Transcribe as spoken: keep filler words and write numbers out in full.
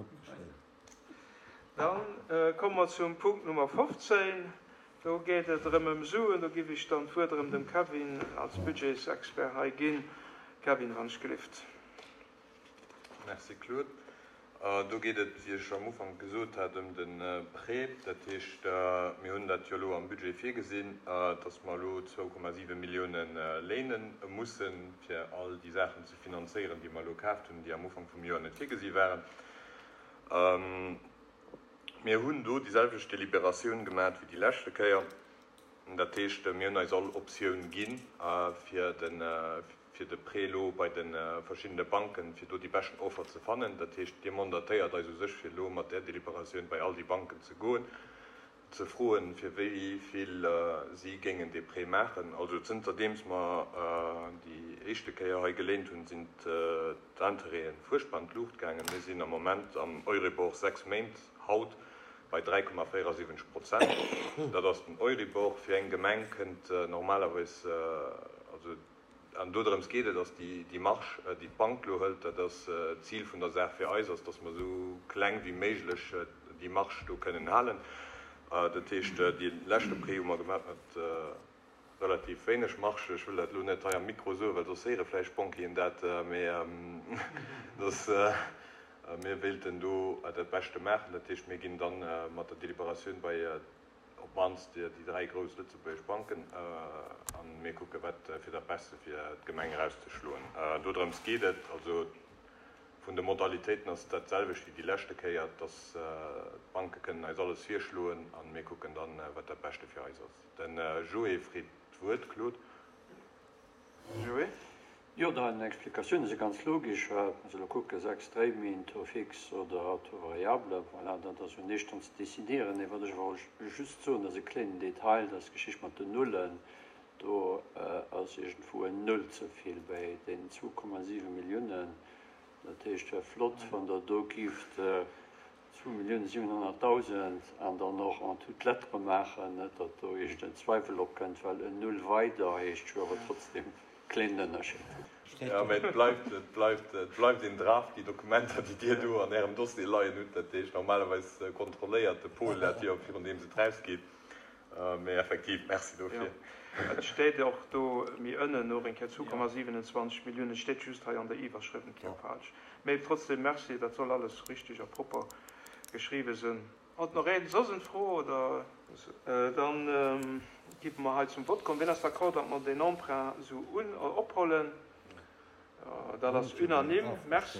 opgeschriwwen. Dann komme mer zum Punkt Nummer fofzéin. Do geet et erëm ëm Suen. Do giff ech dann d'Wuert erëm dem Kevin als Budgetsexpert hei ginn. Kevin, wann ech gelift. Merci Claude. Do geet et, wéi ech am Ufank gesot hat, ëm de Prêt. Dat heescht, mir hunn dat jo elo am Budget virgesinn, dass mer elo zwou Komma siwe Millioune léine mussen, fir all déi Saachen ze finanzéieren, déi mer elo kaaft hunn, déi am Ufank vum Joer net virgesi waren. Mir hunn do déi selwecht Deliberatioun gemaat wéi déi leschte Kéier. Dat heescht, mir hunn eis all Optioun ginn, fir de fir de Prêt elo bei de verschiddene Banken, fir do déi beschten Offer ze fannen. Dat heescht, Dir mandatéiert eis u sech, fir elo mat där Deliberatioun bei all déi Banken ze goen, ze froen, fir wéi vill si géingen dee Prêt maachen. Also zënterdeems mer déi éischte Kéier hei geléint hunn, sinn d'Intérêten fuerchtbar an d'Luucht gaangen. Mir sinn am Moment am Euribor sechs Méint haut bei dräi Komma véierasiwwenzeg Prozent. Dat ass den Euribor. Fir eng Gemeng kënnt normalerweis, also an dodrëms geet et, ass déi Marge, déi d'Bank elo hëlt, dat ass d'Zil vun der Saach fir eis ass, dass mer esou kleng wéi méiglech déi Marge do kënnen halen. Dat heescht, dee leschte Prêt hu mer gemaach mat relativ wéineg Marge. Ech wëll dat elo net hei am Mikro soen, well soss héiere vläicht d'Banquieren dat, mä dass mir wéilten do dat Beschte maachen. Dat heescht, mir ginn da mat der Deliberatioun bei op d'mannst déi dräi grouss lëtzebuergesch Banken a mir kucke wat fir dat Beste fir d'Gemeng erauszeschloen. Dodrëms geet et. Also vun de Modalitéiten ass et dat selwecht wéi déi leschte Kéier, dass d'Banke kënnen eis alles virschloen a mir kucken dann, wat dat Beschte fir eis ass. De Joé freet d'Wuert. Claude. Joé. Jo, dein Explikatioune si ganz logesch. Muss elo kucken, sechs Dréiméint, Taux fixe oder Taux variable, voilà, dat ass jo näischt dran ze décidieren. Mee wat ech awer just soen, dat ass e kléinen Detail, dat ass d'Geschicht mat den Nullen. Do ass iergendwou en Null ze vill bei deenen zwou Komma siwe Milliounen. Dat heescht, wär flott, wann Der do gift zwou Milliounen siwenhonnertdausend an dann och en toutes lettres maachen, net datt do iergend en Zweiwel opkënnt, well en Null weider heescht jo awer trotzdem kléinen Ënnerscheed. Jo, mä et bleift, et bleift, et bleift een Draft, déi Dokumenter, déi Dir do an Ärem Dossier leien hutt. Dat heescht, normalerweis kontrolléiert de Paul dat jo, virun deem et erausgeet. Mä effektiv, Merci dofir. Jo, et steet och do méi ënnen och eng Kéier zwou Komma siwenundzwanzeg Milliounen. Et steet just hei an der Iwwerschrëft eng Kéier falsch. Mä trotzdem Merci, dat soll alles richteg a propper geschriwwen sinn. Hat nach een soss en Fro oder? Dann géife mer hei zum Vott kommen. Wien ass d'accord, datt mer deen Emprunt esou un ophollen? Dat ass unanime. Merci.